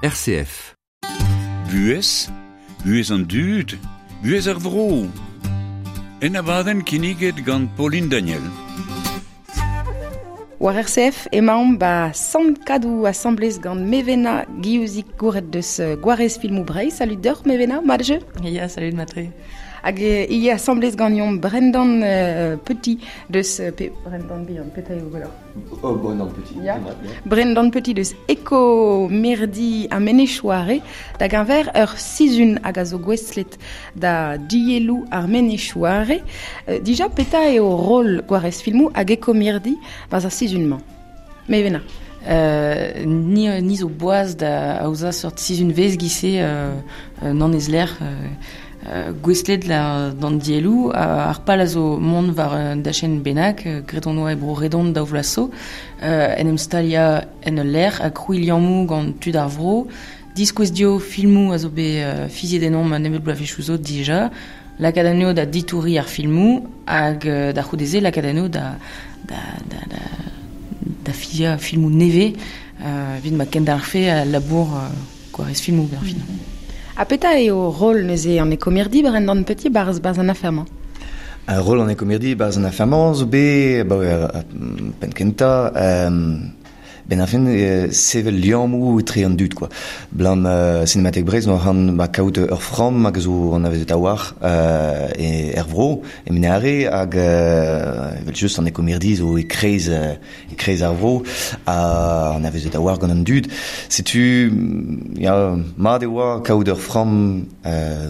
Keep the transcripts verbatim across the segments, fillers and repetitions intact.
R C F. Buhez, buhez an dud, buhez ar vro. En abadenn kinniget gant Pauline Daniel. War R C F emaomp ba Sant Kadou asamblez gant Mevena Guillouzic gouret deus Gwarez Filmou Breizh. Salut deoc'h Mevena, mat jeu? Ya, salut matre. Hag e asamblez ganeomp Brendan euh, Petit deus pe, Brendan Bihan, petra eo gwelloc'h? Oh, Brendan Petit. Ya. Brendan Petit deus Eko Mirdi a Menechouare da gañver ur sizun hag a zo gouestlet da dielou ar Menechouare. Euh, dija peta eo rol Gwarez Filmou hag Eko Mirdi baz ar sizun-mañ. Mevena. Euh, ni, ni zo boaz da aoza seurt sizun vez gise euh, nan ez lec'h euh, Euh, gouestlet la d'an dielou euh, ar pal a zo mont war un dachen bennak euh, graet on oa e bro redon daou vloaz euh, en em stalia en ul lec'h ha krouiñ liammoù gant tud ar vro diskouez dio filmoù a zo bet euh, fiziet ennomp an nebeud bloavezhioù zo dija lakaat anezho da ditouriñ ar filmoù hag euh, da c'houdeze lakaat anezho da da da da da fiziañ filmoù nevez euh, evit ma kendarfe a labour euh, Gwarez Filmoù ber fin. Ha peta eo rol neuze an ekomirdi Brendan Petit barz barz an afermañ? Un rôle an ekomirdi barz an afermañ zo bet ba pen kenta euh, ben a fin euh, sevel liammoù etre an dud quoi. Blam euh, Cinémathèque Breizh no han ba kaout ur framm hag zo an avezet a-war euh, e er vro e menare hag euh, evel just an ekomirdi zo e kreiz e kreiz ar vro a an avezet a-war gant an dud. Setu ya mat e oa kaout ur framm euh,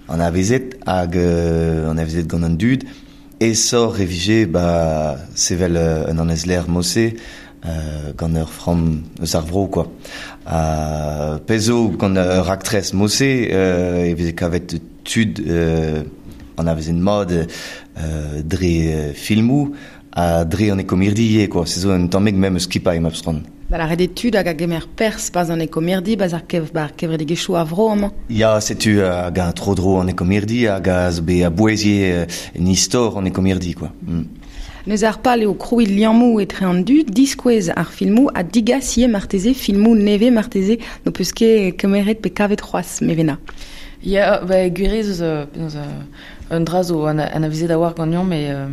an avezet hag euh, an avezet gant an dud e sor e vije ba sevel euh, un an ezler mosse Euh, gant ur framm eus ar vro quoi. Euh, pezo gant ur aktrez mosse euh, e veze kavet tud euh, an avezen mat euh, dre euh, filmoù ha dre an ekomirdi quoi. Se zo un tammig mem eus skipailh ma peus Ba la red tud hag a gemer pers baz an ekomirdi baz ar kev bar kevredigezhioù a vro amañ. Ya, setu hag a tro dro an ekomirdi hag a zo bet a bouezier en istor an ekomirdi quoi. Mm. Neus ar pal eo krouiñ liammoù etre an dud, diskouez ar filmoù ha digas ivez marteze filmoù nevez marteze no peus ket kemeret pe kavet c'hoazh Mevena. Ya, ba gwirez eus penaos un dra zo an, an avezet a-war ganeomp e euh,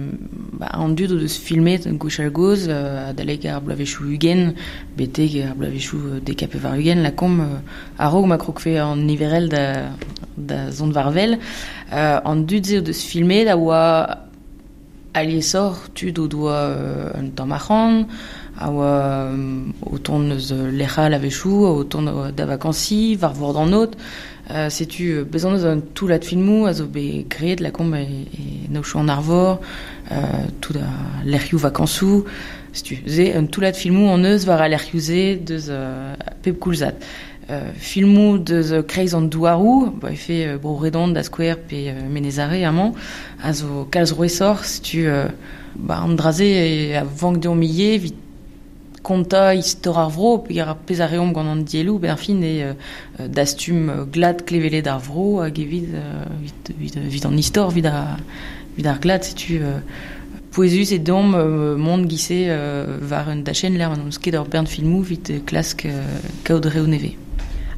ba, an dud o deus filmet gwechall gozh euh, adalek ar bloavezhioù ugent betek ar bloavezhioù dek ha pevar ugent lakaomp euh, a-raok ma krogfe an niverel da, da zont war-wel euh, an dud-se o deus filmet a oa aliesoc'h tud o doa euh, un tamm arc'hant, a oa euh, o tont eus lec'hal a-wechoù, o tont da vakansi, war vord an aod. Euh, setu euh, bezañ eus un toullad filmoù a zo bet graet lakaomp e, e naochoù an arvor, euh, tout a lec'hioù vakansoù. Setu ze un toullad filmoù an eus war a lec'hioù-se deus euh, pep koulzad. Euh, filmoù deus kreiz an douaroù, ba e fe euh, bro redon da skouer pe euh, Menezare amañ, a zo kalz rouesoc'h, setu euh, ba an draze e a vank deomp ivez evit kontañ istor ar vro, pe ar pezh a reomp gant an dielloù, ben ar fin e euh, dastum glad klevelet ar vro hag evit, euh, evit, evit, evit an istor, evit ar, evit ar glad, setu euh, pouezus e deomp euh, mont gise euh, war un dachenn lec'h ma n'eus ket ur bern filmoù evit klask euh, kaout reoù nevez.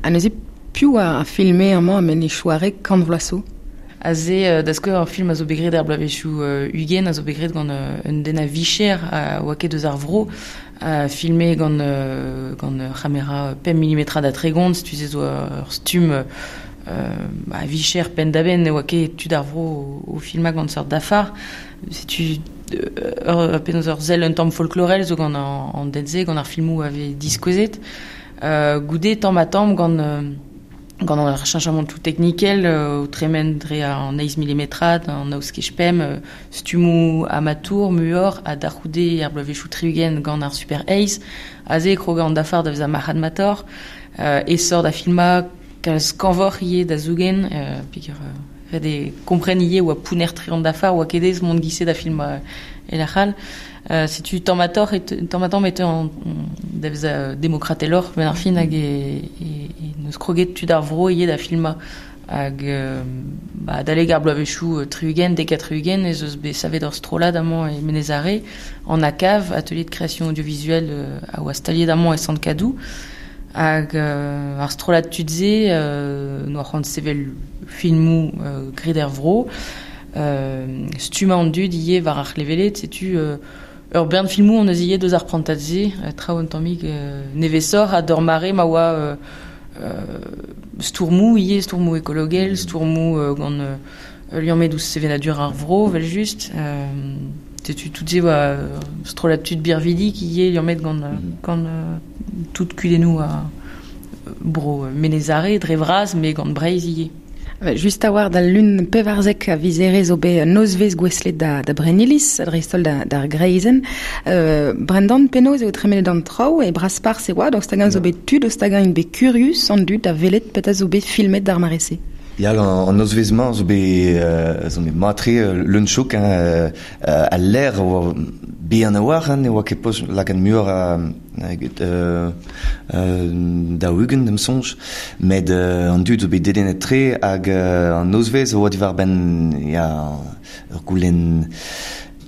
Ha neuze piv a filme amañ a Menechouare kant vloaz zo? Aze, euh, da skouer ur film a zo bet graet ar bloavezhioù euh, ugent, a zo bet graet gant euh, un den a vicher a oa ket eus ar vro, a filme gant, euh, gant ur c'hamera pemp milimetrad a tregont, setu se zo ur stumm euh, a vicher penn-da-benn, ne oa ket tud ar vro o, o filmañ gant seurt dafar. Setu ur, penaos ur sell un tamm folklorel zo gant an, an den-se, gant ar filmoù a vez diskouezet. Euh, goude tamm ha tamm gant, euh, gant ar cheñchamantoù teknikel euh, o tremen dre an eizh milimetrad, an naouskej pemp, euh, stummoù amatour, muioc'h, ha da c'houde ar bloavezhioù tri-ugent gant ar Super eizh, aze e krog an dafar da vezañ marc'had matoc'h, euh, esor da filmañ kalz kañvoc'h ivez da zougen, euh, peogwir euh, ret eo kompren ivez oa pounner tre an dafar, oa ket aes mont gise da filmañ e lec'h all. Euh, setu tamm ha tamm e tamm ha tamm e teu an da vezañ demokrateloc'h ben ar fin hag e, e, e neus kroget tud ar vro ivez da filmañ hag euh, ba, adalek ar bloavezhioù tri-ugent, dek ha tri-ugent ez eus bet savet ur strollad amañ e Menezare, an A C A V, atelier de création audiovisuelle euh, a oa staliet amañ e Sant-Kadou. Hag euh, ar strollad tud-se, euh, noa c'hoant sevel filmou euh, graet er vro, euh, stummañ an dud ivez war ar c'hlevelet, setu euh, ur bern filmou on eus ivez deus ar prantad-se, euh, traoù un tammig euh, nevesoc'h ha d'ur mare ma oa euh, euh, stourmoù ivez, stourmoù ekologel, stourmoù euh, gant euh, liammet ouzh sevenadur ar vro, vel just. Euh, setu tout se oa strollad tud birvidik ivez liammet gant, mm -hmm. gant euh, tout kudennoù a bro Menez Are, dre vras, met gant Breizh ivez. Just a war da lun pevarzek a vizere zo bet nozvez gouestlet da, da Brenniliz, dreist-holl da, d'ar Greizenn. Euh, Brendan, penaos eo tremenet an traoù e Brasparzh e oa, daoust hag-eñ zo bet tud, daoust hag-eñ int bet kurius an dud da welet petra zo bet filmet d'ar mare-se. Ya, an nozvezh-mañ zo bet euh, zo bet mat-tre leun chouk, hein, euh, al lec'h oa bihan a-walc'h, hein, ne oa ket post lakaat muioc'h a, euh, euh, daou-ugent da'm soñj, met euh, an dud zo bet dedennet-tre hag euh, an nozvezh oa diwar-benn ya, ur goulenn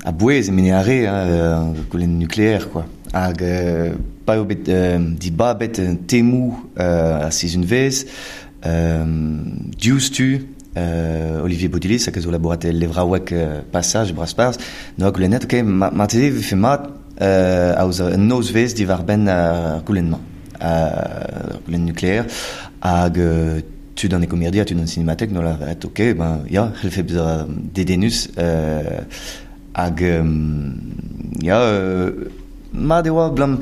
a-bouez e Menez Are, hein, ur goulenn nucléaire, quoi. Hag euh, pa eo bet euh, dibabet temoù euh, ar sizhunvezh, Euh, diouzhtu euh, Olivier Bodilis hag a zo labourat el levraoueg euh, Passage Brasparzh noa goulennet ok ma, marteze e vefe mat euh, aozañ un nozvezh diwar-benn ar goulenn-mañ, ar goulenn nucléaire hag euh, tud an ekomirdi ha tud an sinematek noa lavaret ok ben ya c'hellfe bezañ dedennus euh, hag euh, ya euh, mat e oa blam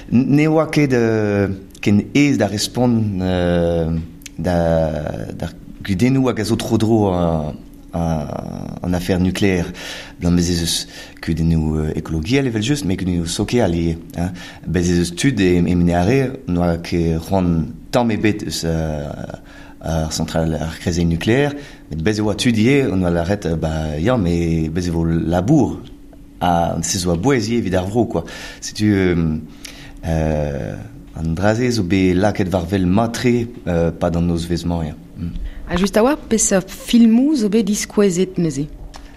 ne oa ket euh, ken aes da respont euh, da d'ar kudennoù hag a zo tro-dro an affaire nucléaire. Blam bez ez eus kudennoù ekologiel evel just, met kudennoù sokial ivez. Hein. Bez ez eus tud e, e Menez Are n'oa ket c'hoant tamm ebet eus ar centrale ar krezenn nucléaire, met bez e oa tud ivez on oa lâret ba ya, met bez e vo labour ha se zo a-bouez ivez evit ar vro, quoi. Setu euh, euh, an dra-se zo bet lakaet war wel mat-tre euh, pad an nozvezh-mañ, ya. Mm. Ha just a oa peseurt filmoù zo bet diskouezet neuze?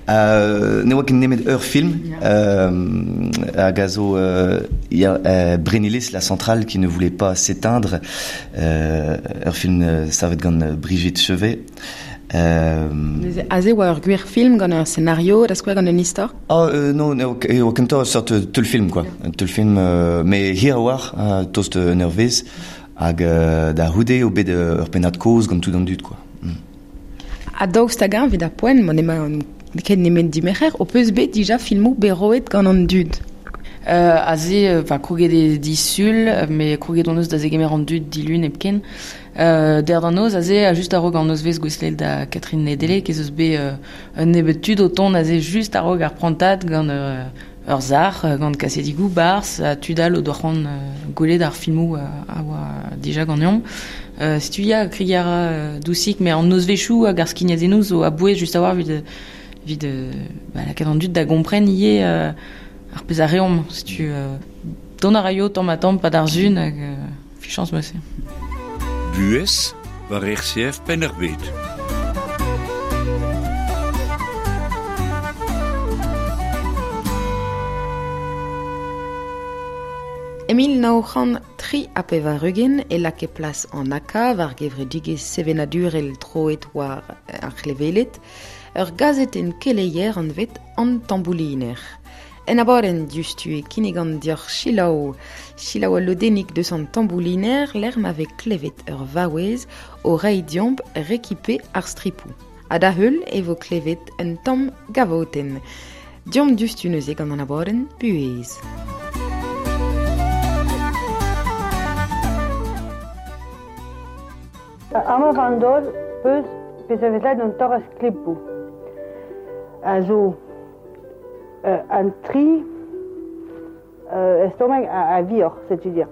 Euh, ne oa ket nemet ur film, euh, hag a zo euh, ya, euh, Brennilis, la centrale qui ne voulait pas s'éteindre, euh, ur film euh, savet gant Brigitte Chevet. Euh, Neuze, aze oa ur gwir film gant ur scenario, da skouer gant un istor? Ah, euh, non, ne oa kentoc'h ur seurt teulfilm, quoi. Un teulfilm, euh, met hir a-walc'h, euh, tost un eurvezh, hag euh, da c'houde eo bet ur pennad-kozh gant tout an dud, quoi. Mm. Ha daoust hag-eñ evit ar poent, ma n'emañ ket nemet dimerc'her, ho peus bet dija filmoù bet roet gant an dud? Euh, aze, enfin, kroget eo disul, met kroget hon eus da zegemer an dud dilun hepken. Euh, der d'an noz, aze, a just a-raok an nozvezh gouestlet da Catherine Nedeleg, ez eus bet euh, un nebeud tud o tont aze just a-raok ar prantad gant euh, ur sac'h, gant kasedigoù, barzh, ha tud all o doa c'hoant euh, gwelet ar filmoù euh, a oa dija ganeomp. Euh, setu ya, kregiñ a ra euh, dousik, met an nozvezhioù hag ar skignadennoù zo a-bouez just a-walc'h evit, evit euh, ba, lakaat an dud da gompren ivez euh, ar pezh a reomp. Setu euh, dont a raio tamm ha tamm pad ar sun hag euh, fichañs 'm eus. Buhez war R C F Penn-ar-Bed. E mil nav c'hant tri ha pevar-ugent e lakae plas an A K war gevredigezh sevenadurel troet war ar c'hleveled, ur gazetenn keleier anvet an Tambouliner. En abadenn diouzhtu e kinnig an dioc'h selaou, selaou al lodennig deus an Tambouliner lec'h ma vez klevet ur vaouez o reiñ deomp rekipe ar stripoù. Ha da heul e vo klevet un tamm gavotenn. Deomp diouzhtu neuze gant an abadenn Buhez. Amañ war an daol peus pezh a vez lakaet an torr a sklepoù. A zo euh, an tri euh, estomag a, a vioc'h, c'est-à-dire.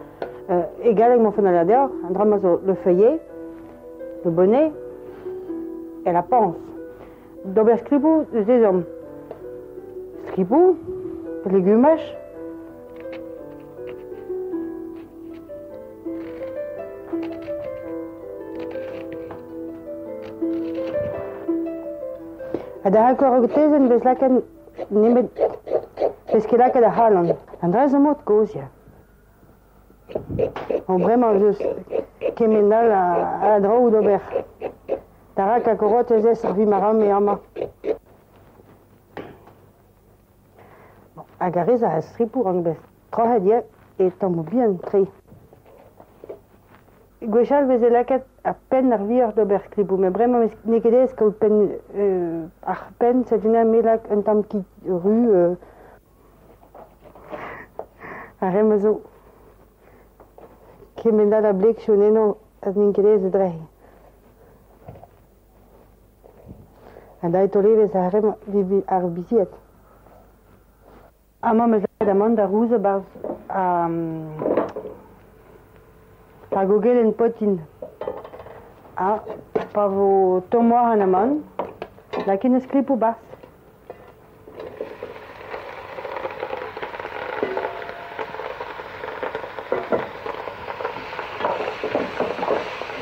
Euh, e galleg m'en font a deoc'h, an dra ma zo le feuillet, le bonnet et la panse. D'ober skriboù, eus ezhomm. Skriboù, legumaj. Ha da akor tezenn vez lakaet nemet vez ket lakaet ar c'halan. An dra zo mod kozh, ya. Bon, bremañ eus kement all a, a draoù d'ober. Tarak a korot ez ez ar vi maram e amañ. Bon, hag a rez a stripoù an bez troc'het eo e tammoù bihan tre. Gwechall veze lakaet ar penn ar vioc'h d'ober skripoù, met bremañ n'eo ket aes kaout penn euh, ar penn, setu me lak un tamm kig ru euh, ar re zo kement all a bleg chonenno az n'int ket aes e dre. Ha da e tolevez ar re ar bizied. Amañ meus lakaet amann da rouzañ barzh um, ar gogel en potin. Ha pa vo tomm war an amann, lakaet eus klipoù barzh.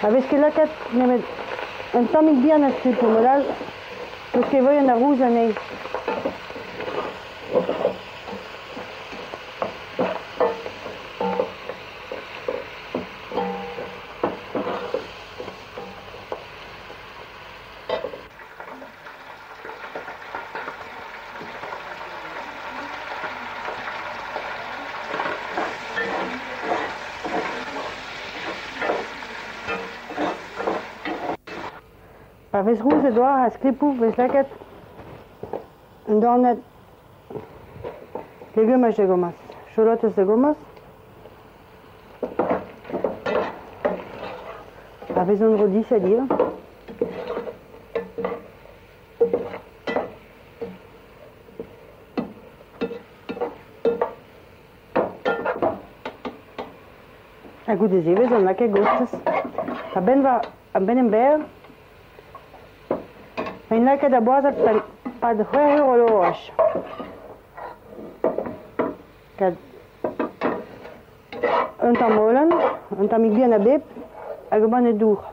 A vez ket lakaet nemet un tammig bihan a skripoù, mod all peus ket voien a rouz anezhi. Pa vez rouz e doar a skripoù vez lakaet un dornad legumaj da gomañs, cholotez da gomañs. A vez an rodisad ivez. Ha goude se vez an lakaet gostez. A benn va a benn emberr Ein lakaet a boazat pad c'hwec'h eur o loraj. Kad un tamm holen, un tammig bihan a bep, hag banne dour.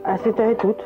Ha setu tout.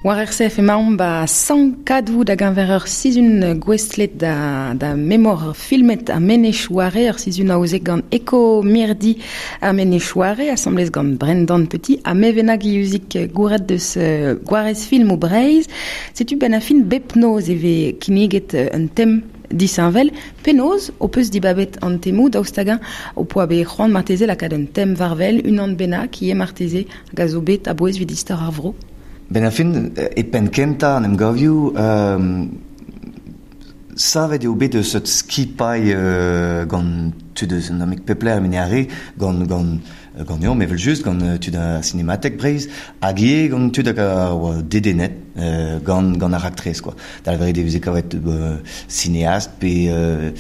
War R C F emaomp ba Sant Kadou da ganver ur sizun gwestlet da, da memor filmet a Menechouare, ur sizun aozet gant Eko Mirdi a Menechouare, asamblez gant Brendan Petit, a Mevena Guillouzic gouret deus uh, Gwarez film o Breiz. Setu ben a fin bepnoz eve kinniget un tem disheñvel, penaos o peus dibabet an temou daoust hag-eñ o poa bet c'hoant marteze lakaat un tem varvel, unan bennak ivez marteze hag a zo bet a-bouez evit istor ar vro. Ben a fin, e penn kentañ an emgavioù, euh, savet eo bet eus ur skipailh euh, gant tud eus an amik pepler mene are, gant, gant, gant eomp evel just, gant tud a Cinémathèque Breizh, hag ivez gant tud hag a oa dedennet euh, gant, gant ar raktres, quoi. Da lavaret e veze kavet euh, cinéaste pe euh,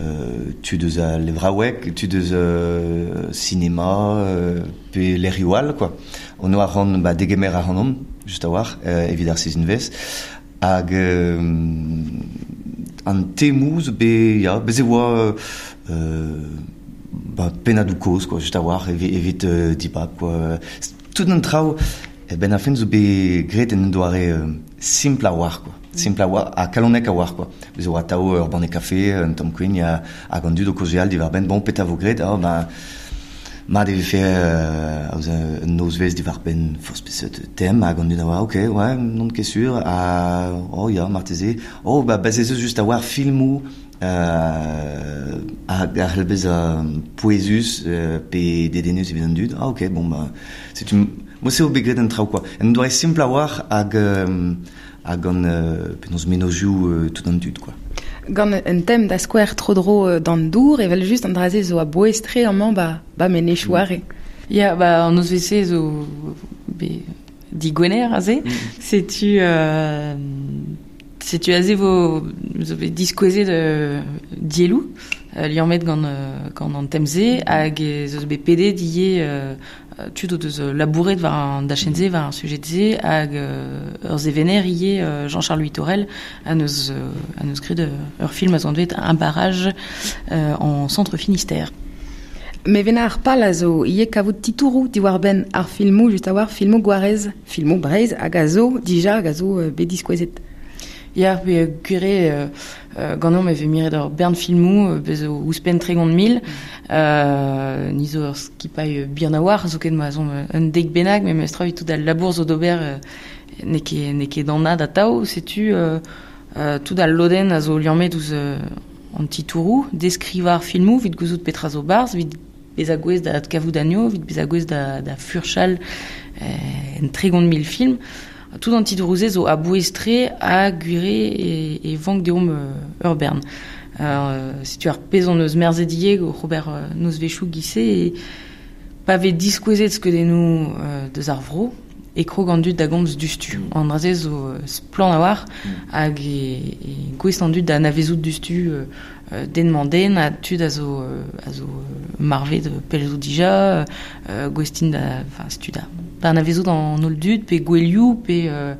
euh, tud eus a levraoueg, tud eus euh, cinéma, euh, pe lec'hioù all, quoi. On oa c'hoant, ba, degemer ac'hanomp, just a-walc'h, euh, evit ar sizhunvezh. Hag euh, an temoù zo bet, ya, bez e oa euh, ba, pennadoù kozh, quoi, just a-walc'h, evit, evit euh, dibab, quoi. Tout an traoù, eh ben a fin zo bet graet en un doare euh, simpl a-walc'h, quoi. Simpl a-walc'h, ha kalonek a-walc'h, quoi. Bez e oa atav ur banne kafe, un tamm kuign, ha, hag an dud o kaozeal diwar-benn, bon, petra vo graet, ah, ba, mat e vefe euh, aozañ un nozvezh diwar-benn forzh peseurt tem, hag an dud a oa, ok, ouais, n'on ket sur, ha, oh ya, marteze, oh, ba, bez ez eus just a-walc'h filmoù, euh, hag a c'hell bezañ pouezus, euh, pe dedennus evit an dud, ah, ok, bon, ba, setu, mod-se eo bet graet an traoù, quoi. Un doare simpl a-walc'h hag, euh, hag gant euh, penaos mennozhioù euh, tout an dud, quoi. Gant un tem da skouer tro-dro d'an dour, evel just an dra-se zo a-bouez-tre amañ ba, ba Menechouare. Ya, ba, an nozvezh-se zo be digwener aze. Mm. Setu, euh, setu aze vo zo bet diskouezet euh, dielloù, euh, liammet gant, euh, gant an tem-se, hag ez eus bet pedet ivez, euh, tud o deus labouret war an dachenn-se, war ar sujet-se, hag euh, ur sevener ivez, euh, Jean-Charles Huitorel, a neus, euh, a neus graet ur film a zo anvet Un barrage, euh, en centre Finistère. Mevena ar pal a zo ivez kavout titouroù diwar-benn ar filmoù, just a-walc'h filmoù Gwarez, filmoù Breizh hag a zo dija hag a zo euh, bet diskouezet. Ya, pe gwir eo, euh, ganeomp e vez miret ur bern filmoù, bez zo ouzhpenn tregont mil, euh, ni zo ur skipailh bihan a-walc'h, zoken ma zomp un dek bennak, met memestra evit tout al labour zo d'ober, euh, n'eo ket, n'eo ket anat atav, setu, euh, euh, tout al lodenn a zo liammet ouzh, euh, an titouroù, deskrivañ ar filmoù, evit gouzout petra zo barzh, evit bezañ gouest da adkavout anezho, evit bezañ gouest da, da furchal, euh, en tregont mil film. Tout an titouroù-se zo a-bouez-tre ha gwir eo e, e vank deomp, euh, ur bern. Euh, setu ar pezh hon eus merzet ivez oc'h ober, euh, nozvezhioù giz-se, e pa vez diskouezet skeudennoù, euh, deus ar vro, e krog an dud da gomz dustu. An dra-se zo, euh, splann a-walc'h, hag e, e gouest an dud da anavezout dustu, euh, euh, den-mañ den, ha tud a zo, euh, a zo, euh, marvet pell zo dija, euh, gouest int da, enfin, setu da, da anavezout an holl dud, pe gouelioù, pe, euh,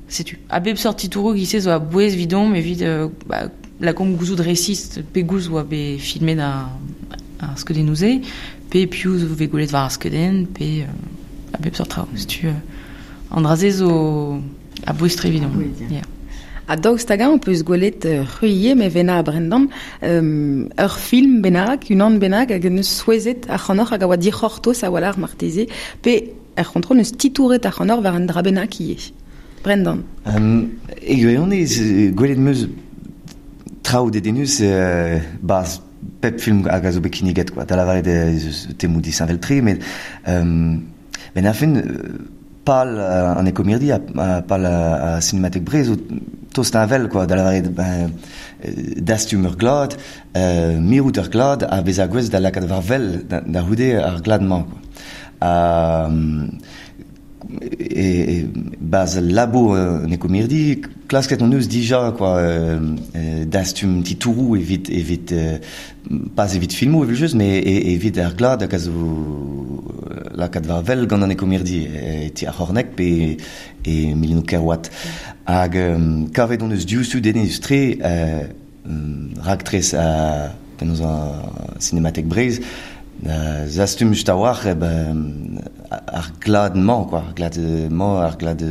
setu. A bep seurt titouroù giz-se zo a-bouez evidomp, evit, euh, ba, lakaomp gouzout resis pegoulz oa bet filmet ar, ar skeudennoù-se, pe piv zo bet gwelet war ar skeudenn, pe, euh, a bep seurt traoù. Setu, euh, an dra-se zo a-bouez-tre evidomp. A-bouez, ya. Ya. Ha daoust hag-eñ on peus gwelet, euh, c'hwi Mevena ha Brendan, euh, ur film bennak, unan bennak hag neus souezhet ac'hanoc'h hag a oa dic'hortoz a-walc'h marteze, pe er c'hontrol neus titouret ac'hanoc'h war un dra bennak ivez. Brendan. Um, e gwirionez, gwelet 'm eus traoù dedennus, euh, barzh pep film hag a zo bet kinniget, quoi. Da lavaret ez eus temoù disheñvel-tre, met, euh, ben a fin, pal, euh, an Ekomirdi, a, a pal a, a Cinémathèque Breizh zo tost heñvel, quoi, da lavaret, ben, euh, dastum ur glad, euh, mirout ur glad, ha bezañ gouest da lakaat war wel da, da c'houde ar glad-mañ, quoi. Ha, e, e, barzh labour, euh, an Ekomirdi, klasket hon eus dija, quoi, euh, euh, dastum titouroù evit, evit, euh, pas evit filmoù evel just, met e, evit ar glad hag a zo lakaat war wel gant an Ekomirdi, e, ti ar C'horneg pe e Milinoù Kerwat. Hag, euh, kavet hon eus diouzhtu dedennus-tre, euh, raktres a penaos a Cinémathèque Breizh, da zastum just a-walc'h, eh ben, ar glad-mañ, quoi, ar glad-mañ, ar glad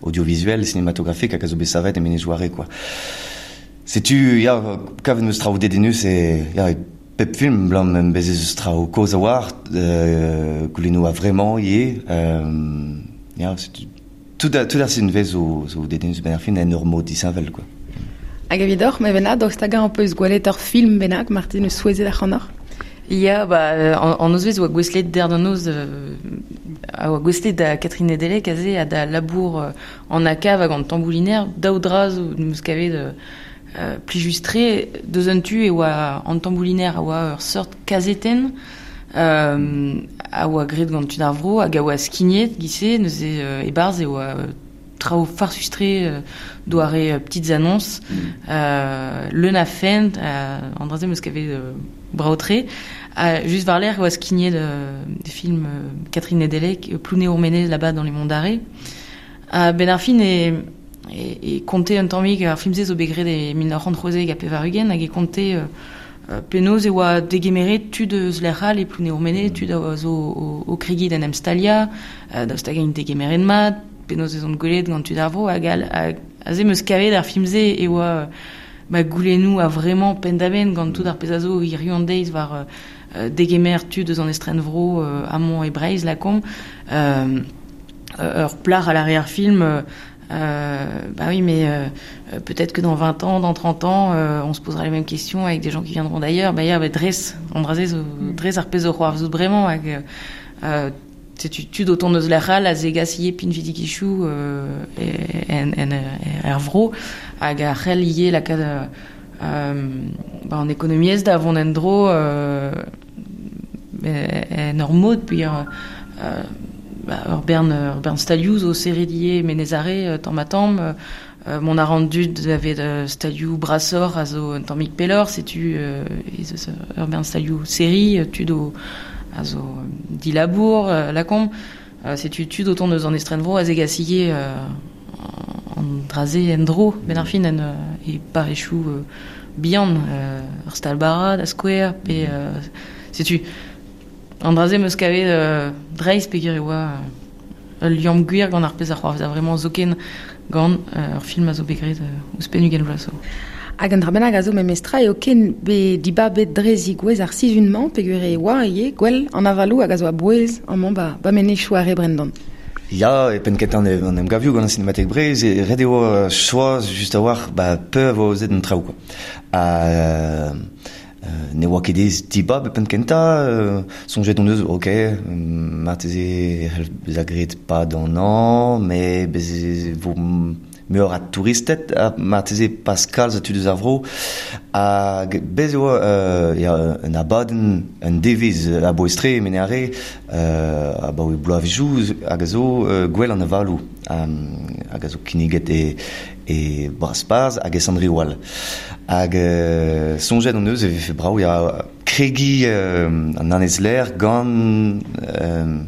audiovisuel, cinématographique hag a zo bet savet e Menez-Joare, quoi. Setu, ya, kavet meus traoù dedennus e, ya, e pep film, blam em bez ez eus traoù kozh a-walc'h, euh, goulennoù a vraiment ivez, euh, ya, setu, tout a, tout ar sizhunvezh zo, zo dedennus ben ar fin en ur mod disheñvel, quoi. Hag evidoc'h, Mevena, daoust hag-eñ ho peus gwelet ur film bennak, Martine, eus souezhet ac'hanoc'h? Ya, ba, an, an nozvezh oa gouestlet der d'an noz, euh, a oa gouestlet da Catherine Nedelec aze ha da labour euh, an akav hag an tambouliner, daou dra zo meus kavet euh, euh, plijus-tre, deus un tu e oa an tambouliner a oa ur seurt kazetenn, euh, a oa graet gant tud ar vro hag a oa skignet gise, neuze euh, e-barzh e oa euh, traoù farsus-tre euh, doare euh, petites annonces, mm. euh, leun a fent, euh, an dra-se meus kavet euh, brao-tre. Euh, just war-lerc'h e oa skignet de, de film euh, Catherine Nedelec, Plounéour-Ménez là-bas dans les Monts d'Arrée. Euh, ben ar fin e, e, e konte un tammig ar film-se zo bet graet e mil nav c'hant c'hwezek ha pevar-ugent hag e konte euh, euh, penaos e oa degemeret tud eus lec'h all e Plounéour-Ménez, tud a zo o, o kregiñ d'en em staliañ, euh, daoust hag int degemeret mat, penaos ez ont gwelet gant tud ar vro, hag al, hag aze meus kavet ar film-se e oa ba goulennoù a vraiment penn-da-benn gant tout ar pezh a zo hiziv an deiz war euh, degemer tud eus an estrenvro euh, amañ e Breizh lakaomp. Euh, ur plac'h a lâre ar film, euh, bah oui, mais euh, peut-être que dans vingt ans, dans trente ans, euh, on se posera les mêmes questions avec des gens qui viendront d'ailleurs. Bah, ya, bah, dres, an dra-se zo, dres ar pezh zo c'hoarvezout bremañ, hag, euh, setu tud o tont eus lec'h all a zegas ivez pinvidigezhioù euh, en, en, er vro hag a c'hell ivez lakaat euh, ba, an ekonomiezh da vont en-dro euh, en ur mod, puis euh, ba, ur bern, ur bern stalioù zo serret ivez Menez-Are tamm ha tamm, euh, mont a ran dud davet euh, stalioù brasoc'h a zo un tammig pelloc'h, setu euh, ez eus ur bern stalioù serri, tud o a zo dilabour, euh, lakaomp, euh, setu tud o tont eus an estrenvro a zegas ivez euh, an dra-se en-dro, ben ar fin en, euh, e parrezioù euh, bihan, euh, ur stal bara da skouer, pe euh, setu an dra-se meus kavet euh, dreist peogwir e oa euh, ul liamm gwir gant ar pezh a c'hoarvez a vraiment zoken gant euh, ur film a zo bet graet euh, ouzhpenn ugent vloaz zo. Hag an dra bennak a zo memestra eo ken be dibabet dre zigouez ar sizhun-mañ peogwir e oa ivez gwell an avaloù hag a zo a-bouez amañ ba, ba Menezioù Are Brendan. Ya, e penn kentañ an emgavioù gant an Cinémathèque Breizh, e ret eo euh, choaz just a-walc'h ba peur vo aozet an traoù, quoi. Ha, euh, ne oa ket aes dibab e penn kentañ, euh, soñjet hon eus, ok, marteze e c'hell bezañ graet pa d'an hañv, met bez e vo muioc'h a touristed, ha marteze pas kalz a tud eus ar vro, hag bez e oa euh, ya, un abadenn, un devezh a-bouez-tre e Menez-Are, euh, abaoe bloavezhioù hag a zo euh, gwell an avaloù, um, hag a zo kinniget e, e Brasparzh hag e Sant-Riwal. Hag euh, soñjet hon eus e vefe brav ya kregiñ euh, an annezlec'h gant euh,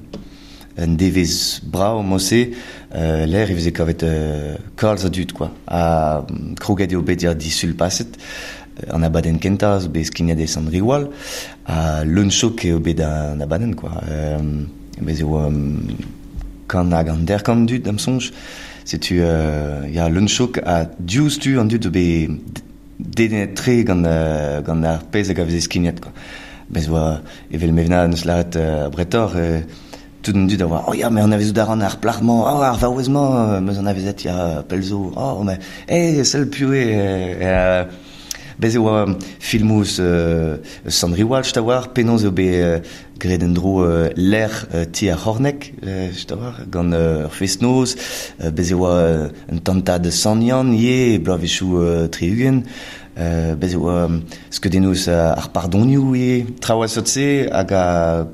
un devezh brav mod-se, euh, lec'h e veze kavet euh, kalz a dud, quoi. Ha kroget eo bet ya disul paset, an abadenn kentañ zo bet skignet e Sant-Riwal, ha leun-chok eo bet an abadenn, quoi. Euh, bez eo um, kant hag an derkant dud da'm soñj. Setu euh, ya leun-chok ha diouzhtu an dud zo bet dedennet-tre gant, euh, gant ar pezh hag a veze skignet, quoi. Bez oa evel Mevna neus lâret euh, bretoc'h, euh, tout an dud a oa, oh ya, mais anavezout a ran ar plac'h-mañ, oh, ar vaouez-mañ, meus anavezet ya pell zo, oh, mais, eh, sell piv eo, euh, bez e oa filmoù eus euh, Sant-Riwal, just a-walc'h, penaos eo bet euh, graet en-dro euh, lec'h euh, ti ar C'horneg, euh, just a-walc'h, gant euh, ur fest-noz, euh, bez e oa euh, un tantad Sant-Yann ivez, bloavezhioù euh, tri-ugent, euh, bez e oa skeudennoù eus ar pardonioù ivez, traoù a seurt-se hag a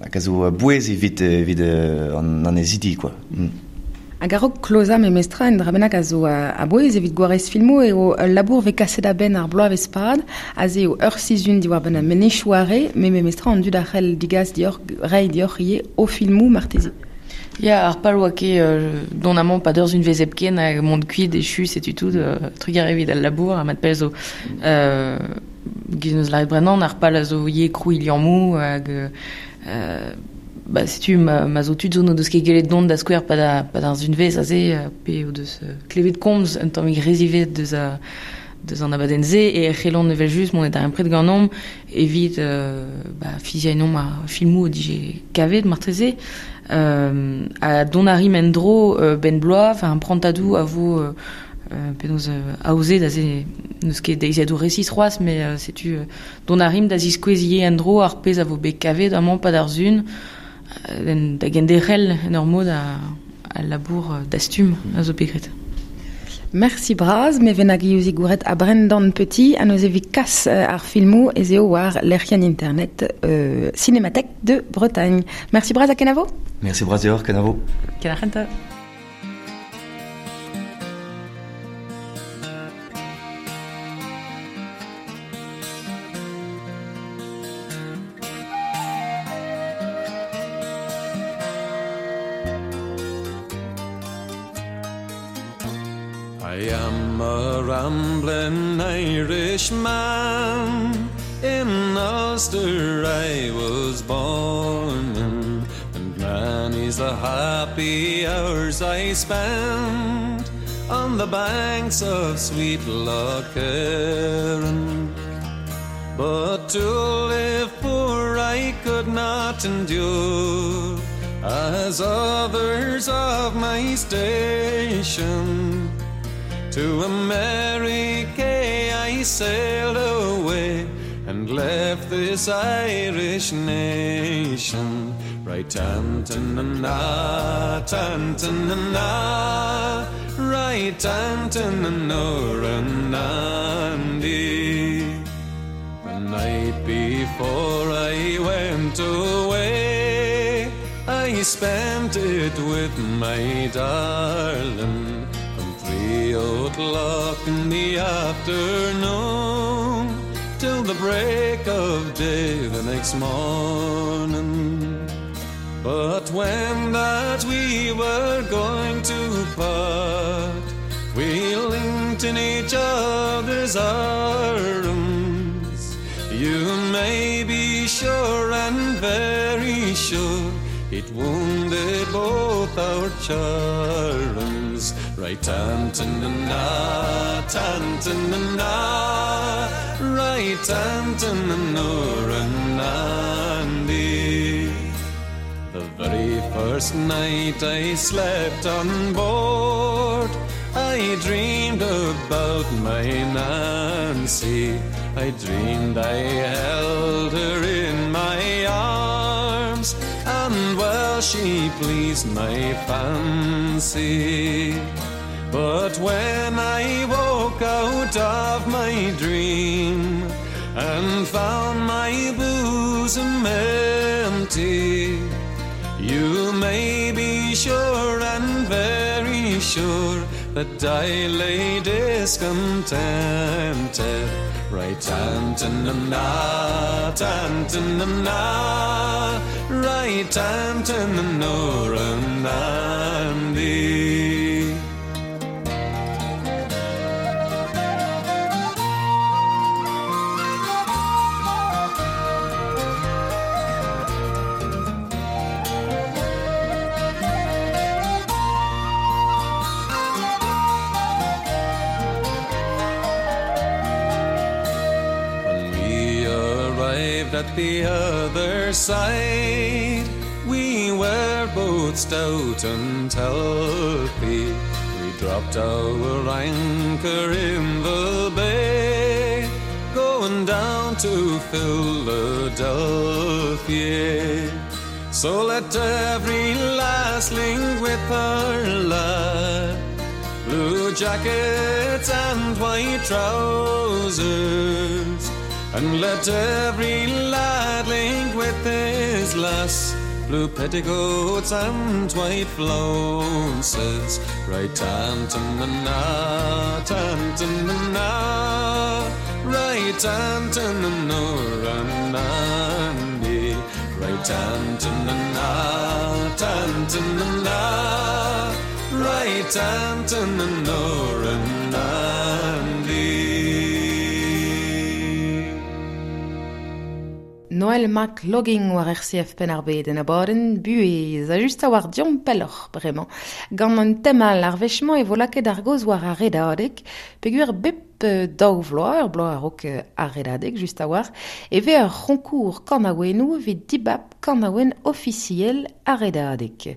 hag a zo bouez evit, evit euh, an annezidi, quoi. Mm. Hag a-raok klozañ memestra un dra bennak a zo a-bouez evit gwarez filmoù eo ul labour vez kaset a-benn ar bloavezh pad, aze eo ur sizhun diwar-benn ar Menezioù Are, met memestra an dud a c'hell digas dioc'h, reiñ dioc'h ivez o filmoù marteze. Ya, ar pal oa ket euh, dont amañ pa deurz un vez hepken hag mont kuit echu setu tout, euh, trugarez evit al labour ha mat pell zo. Euh, giz neus lâret brenan, ar pal a zo ivez krouiñ liammoù hag euh, ba, setu ma, ma zo tud zo no deus ket gellet dont da skouer pa da, pa d'ar zunvez aze, pe o deus euh, klevet komz un tammig rezivet deus a, deus an abadenn se, e c'hellon evel just mon et ar pred ganeomp evit euh, ba, fiziañ nomp ar filmoù o dije kavet martreze, euh, a don a rim en-dro euh, ben bloaz, enfin un prantadou a vo euh, euh, penaos euh, aoze da ze n'eus ket deiziadoù resis c'hoazh, mais euh, setu euh, don a rim da ziskouezier en-dro ar pezh a vo bet kavet amañ pa d'ar zun, euh, da genderc'hel en ur mod a, a labour euh, dastum a zo bet graet. Merci braz, me ven hag iozi gouret a Brendan Petit, a noz evit kas euh, ar filmou ez eo war lec'hienn internet euh, Cinémathèque de Bretagne. Merci braz a kenavo. Merci braz deoc'h, kenavo. Kenarenta. I am a rambling Irishman, in Ulster I was born, in, and many's the happy hours I spent on the banks of sweet Loch Erin. But to live poor I could not endure, as others of my station. To America I sailed away and left this Irish nation. Right tantanana, tantanana, right tantananoranandi. The night before I went away, I spent it with my darling. Three o'clock in the afternoon till the break of day the next morning. But when that we were going to part, we linked in each other's arms. You may be sure and very sure it wounded both our charms. Right tantanana, tantanana, right tantananoranandi. The very first night I slept on board, I dreamed about my Nancy. I dreamed I held her in my arms, and well she pleased my fancy. But when I woke out of my dream and found my bosom empty, you may be sure and very sure that I lay discontented. Right tantanana, tantanana, right tantananoranandi. At the other side, we were both stout and healthy. We dropped our anchor in the bay, going down to Philadelphia. So let every lass link with her lad, blue jackets and white trousers, and let every lad link with his lass, blue petticoats and white flounces. Right tantanana, tantanana, right tantananoranandi. Right tantanana, tantanana, right tantananoranandi. Noël Mac Logging war R C F Penn-ar-Bed en abadenn buhez a just a war diom pelloc'h bremañ. Gant an temal ar wech-mañ e vo lakaet ar gaoz war ar redadeg, peogwir bep daou vloaz, ur bloaz a-raok ar redadeg just a war, e vez ur c'honkour kanaouennoù evit dibab kanaouenn ofisiel ar redadeg.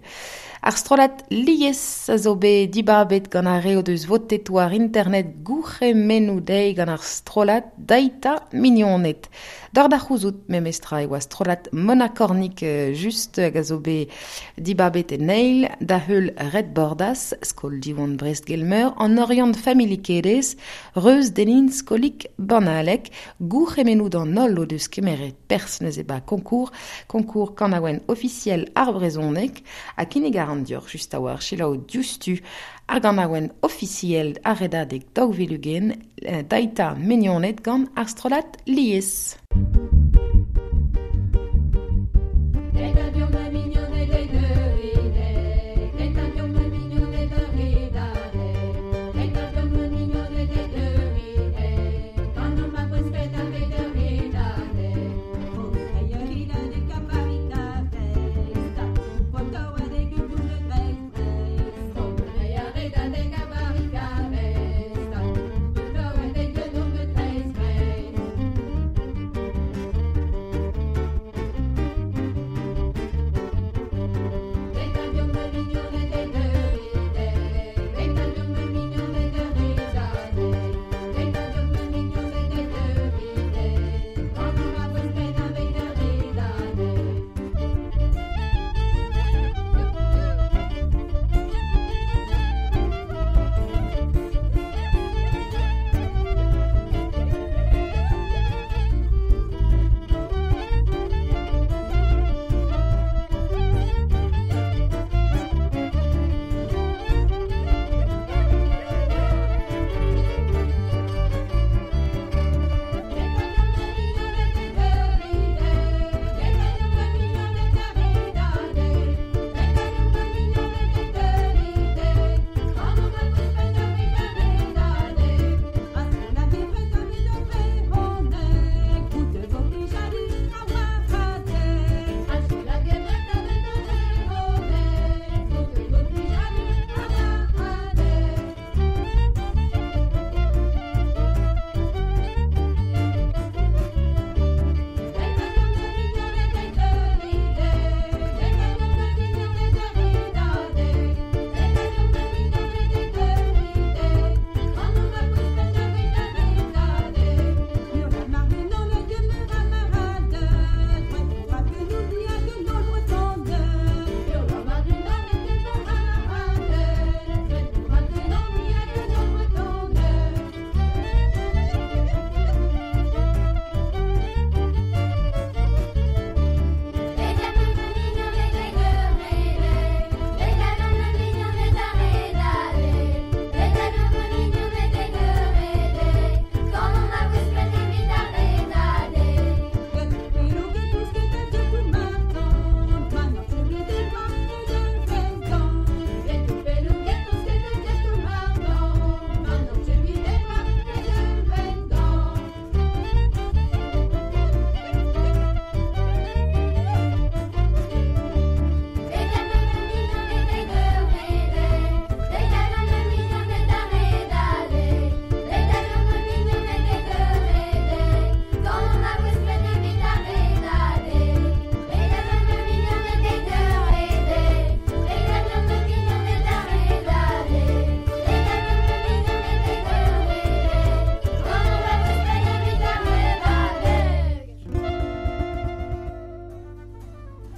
Ar strollad lies a zo bet dibabet gant ar re o deus votet war internet gourc'hemennoù dezhi gant ar strollad Daita Mignoned. D'ar da c'houzout memestra e oa strollad Mona Cornic just hag a zo bet dibabet en eil, da heul Red Bordas, skol Diwan Brest-Gelmeur, an Orient Family Kedez, Reus Denin skolik Banalek, gourc'hemennoù d'an holl o deus kemeret pers neuze ba konkour, konkour kanaouenn ofisiel ar brezhoneg, ha kinnig ar an dioc'h just a war selaou diouzhtu ar ganaouenn ofisiel ar redadeg daou vil ugent, Daita Mignoned gant ar strollad lies.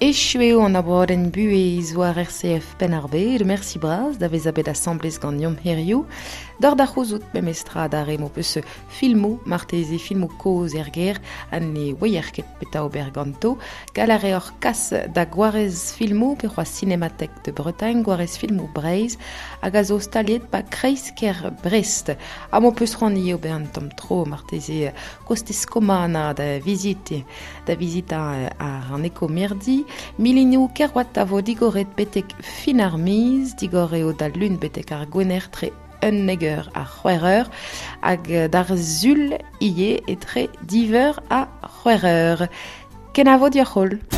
Echu eo an abadenn buhez war R C F Penn-ar-Bed, merci bras da vezañ bet asambles gant Yom Herioù. D'ar da c'houzout memestra da re m'ho peus filmoù, marteze filmoù kozh er gêr, ha ne ouier ket petra ober ganto. Gall a reoc'h kas da gwarez filmoù pe c'hoazh Cinémathèque de Bretagne, gwarez filmoù Breizh, hag a zo staliet ba kreiz-kêr Brest. Ha m'ho peus c'hoant ivez ober un tamm tro marteze kostez Komana da vizite, da vizitañ ar an ekomirdi. Milinoù Kerouat a vo digoret betek fin ar miz, digor eo da lun betek ar gwener tre un eur a c'hwec'h eur, hag d'ar sul ivez etre div eur ha c'hwec'h eur. Kenavo dioc'h holl.